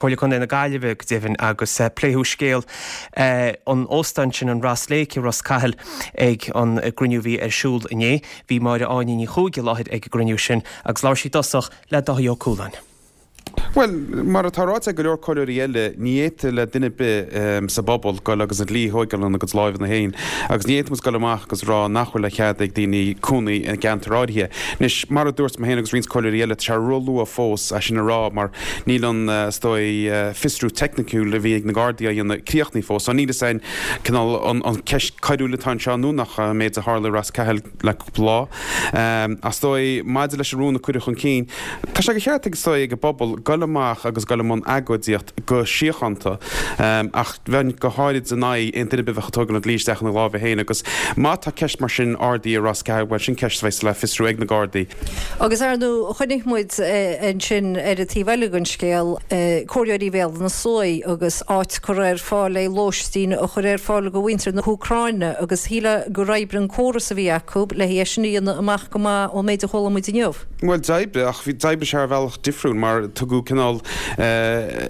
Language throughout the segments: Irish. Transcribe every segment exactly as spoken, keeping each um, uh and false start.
Comhairle Contae na Gaillimhe go deimhin agus pléadh scéal an óstáin sin an Ross Lake i Ros Cathail ag an gcruinniú a bhí ar siúl inné. Bhí Máire Áine Ní Chuaig i láthair ag an gcruinniú sin agus labhair sí i dtosach le Dáithí Ó Cualáin. Bhuel, mar atá ráite ag go leor comhairleoirí eile, ní fhéadfadh le duine ar bith sa bpobal goil agus an dlí a thóigeáil ina gcuid láimheanna féin agus ní fhéadfadh muid goil amach agus rá nach bhfuil le cead ag daoine cónaí i gceantar áirithe. Anois, mar a dúirt mé féin agus roinnt comhairleoirí eile, tá sé ró-luath fós é sin a rá mar níl an, is dóigh, fiosrú teicniciúil a bhí ag na Gardaí á dhéanamh críochnaithe fós. So níl fhios againn cineál an ceist coiriúil atá anseo nó nach an méid a tharla i Ros Cathail le cúpla lá. Ach is dóigh, maidir leis an rún a cuireadh chun cinn, tá sé de cheart ag, is dóigh, ag an bpobal goil amach agus goil i mbun agóidíocht go síochánta ach bheinn go háirid in aghaidh aon duine ar bith a bheadh ag tógáil an dlí isteach ina lámha féin agus má tá ceist mar sin ardaithe i Ros Cathail, bhuel sin ceist a bheas le fiosrú ag na Gardaí. Agus ar ndóigh chonaic muid ansin ar an taobh eile den scéal, comhairleoirí Bhéal Átha na Sluaighe agus áit curtha ar fáil le lóistín a chur ar fáil do mhuintir na hÚcráine agus shílfeá gur oibrigh an córas a bhí acu le é sin a dhéanamh amach go maith ón méid a chuala muid inniu. Bhuel d'oibrigh, ach d'oibrigh sé ar bhealach difriúil mar tugadh cineál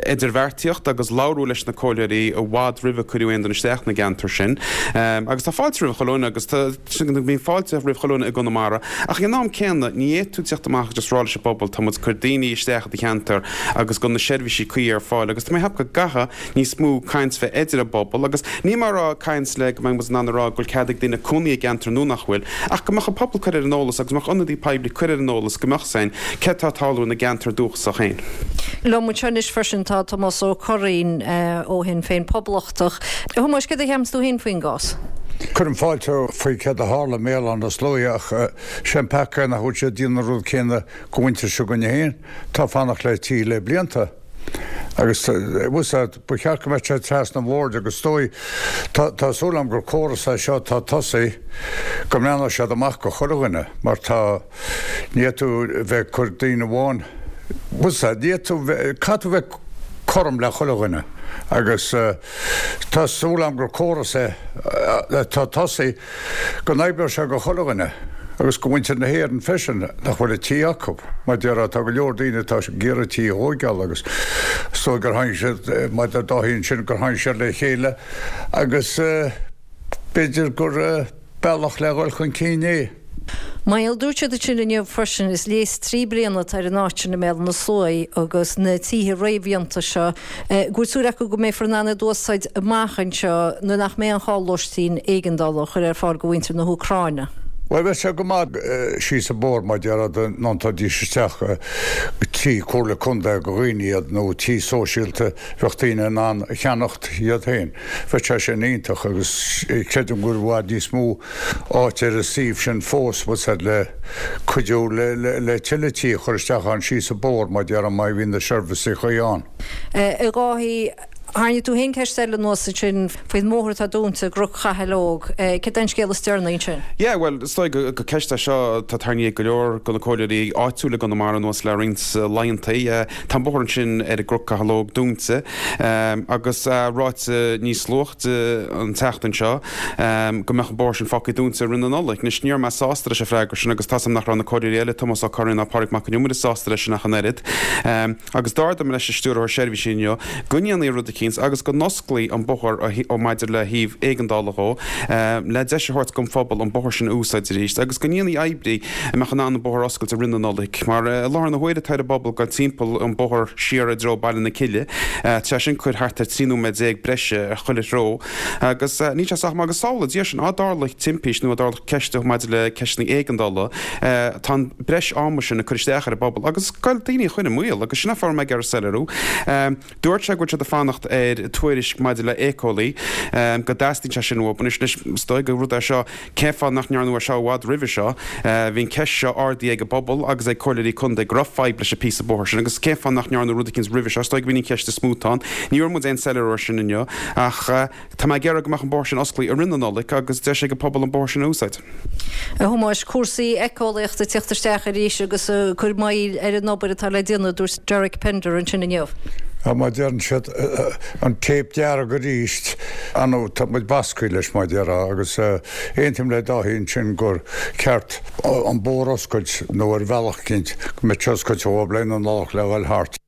idirbheartaíocht agus labhrú leis na comhairleoirí i bhfad roimh a cuireadh aon duine isteach na gceantar sin. Agus tá fáilte roimh chuile dhuine agus tá, bíonn fáilte roimh chuile dhuine i gConamara ach ag an am céanna ní fhéadfaidh tú teacht amach agus just rá leis an bpobal tá muid ag cur daoine isteach i do cheantar agus go bhfuil na seirbhísí cuí ar fáil agus tá mé ag ceapadh go gcaithfidh níos mó caint bheith idir an bpobal agus níl mé ag rá caint le go mbeidh muid in ann a rá go bhfuil cead ag daoine cónaí i gceantar nó nach bhfuil ach go mbeadh an pobal curtha ar an eolas agus go mbeadh ionadaí poiblí curtha ar an eolas go mbeadh fhios againn céard atá ag tarlú ina gceantar dúchasach féin. Liom anseo anois freisin tá Tomás Ó Curraoin ó Shinn Féin Poblachtach. A Thomáis, céard a cheapanns tú féin faoin gcás? Cuirim fáilte faoi céard a tharla i mBéal Átha na Sluaighe ach sé an peaca é nach bhfuil siad ag déanamh an rud céanna go mhuintir s'againne féin atá ag fanacht le tí le blianta. Agus bhfuil a fhios ba cheart go mbeadh sé trasna an bhoird agus is dóigh, tá súil agam gur córas é seo atá tosaithe, go mbreathnóidh siad amach go chuile dhuine mar tá, ní fhéadfaidh tú bheith ag cur daoine amháin, bhfuil a fhios agat, ní fhéadfaidh tú bheith, caithfidh tú bheith cothrom le chuile dhuine agus tá súil agam gur córas é atá tosaithe go n-oibreoidh sé go chuile dhuine agus go mhuintir na hÉireann freisin nach bhfuil a tí acu. Mar déarfá tá go leor daoine atá ag iarraidh tí a thóigeáil agus is dóigh gur tháinig siad, mar a deir Dáithí ansin, gur tháinig siad le chéile agus b'fhéidir gur bealach le dhul chun cinn é. Mar dúirt siad ansin inniu freisin, is léas trí bliana atá ar an áit sin i mBéal Átha na Sluaighe agus na tithe réamhdhéanta seo, go bhfuil súil acu go mbeifear in ann iad a úsáid amach anseo nuair nach mbeidh an chá lóistín éigeandála a chur ar fáil do mhuintir na hÚcráine. Bhuel, bheadh sé go maith síos an bóthar mar déarfá dá ndéanfaidís isteach tí Comhairle Contae do dhaoine iad nó tí sóisialta bheadh daoine in ann a cheannacht iad féin. Bheadh sé sin iontach agus creidim go bhfuil i bhfad níos mó áit ar an suíomh sin fós, bhfuil a fhios agat, le cuidiú le tuilleadh tí a chur isteach ann síos an bóthar mar déarfá má bhíonn na seirbhísí cuí ann. A Dháithí, tharraing tú féin ceist eile anuas ansin faoin mbóthar atá dúnta i gCnoc Chathail Óg. Céard é an scéal is deireanaí ansin? Yeah, bhuel, is dóigh gur ceist é seo atá tarraingthe ag go leor de na comhairleoirí áitiúla i gConamara anuas le roinnt laethanta. Tá an bóthar ansin ar an gCnoc Chathail Óg dúnta agus ráite níos luaithe an tseachtain seo go mbeadh an bóthar sin fágtha dúnta i rith na Nollag. Anois, ní raibh mé sásta leis an freagra sin agus tá's agam nach raibh na comhairleoirí eile, Tomás Ó Curraoin ná Pádraig Mac Con Iomaire sásta leis sin ach an oiread. Agus d'ardaigh mé leis an Stiúrthóir Seirbhísí inniu go ndéanfaí rud eicínt agus go n-osclaí an bóthar ó maidir le thaobh éigeandála dhó le deis a thabhairt don phobal an bóthar sin a úsáid arís agus go ndéanfaí oibrí a mbeadh in ann an bóthar a oscailt i rith na Nollag. Mar i láthair na huaire tá ar an bpobal dul timpeall an bóthar siar i dtreo Baile na Cille. Tá sé sin ag cur thart ar trí nóiméad déag breise ar chuile threo agus níl sé sách maith agus samhlaigh Dia sin, á dtarlódh timpiste nó á dtarlódh ceist maidir le ceisteanna éigeandála, tá an breis ama sin ag cur isteach ar an bpobal agus ag goil daoine a chur i mbaol agus sin an fáth a raibh mé ag iarraidh soiléiriú. Dúirt sé go bhfuil siad ag fanacht ar tuairisc maidir le éiceolaí, go dteastaíonn sé sin uathu. Anois, is dóigh gur rud é seo, cén fáth nach ndearnadh é seo i bhfad roimhe seo? Bhí an ceist seo ardaithe ag an bpobal agus ag comhairleoirí contae go raibh fadhb leis an píosa bóthair sin agus cén fáth nach ndearnadh rud eicínt roimhe seo? Is dóigh go b'in an cheist is mó atá ann. Ní bhfuair muid aon soiléiriú air sin inniu ach tá mé ag iarraidh go mbeadh an bóthar sin osclaithe i rith na Nollag agus deis ag an pobal an bóthar sin a úsáid. A Thomáis, cúrsaí éiceolaíochta ag tíocht isteach arís agus ag cur moill ar an obair atá le déanamh, a dúirt Derek Pender ansin inniu. Á, mar deireann siad, an téip dearg arís, ar ndóigh tá muid basctha leis mar déarfá agus aontaím le Dáithí ansin gur ceart an bóthar a oscailt nó ar bhealach eicínt go mbeadh sé oscailte dhóibh le na Nollag le dhul thart.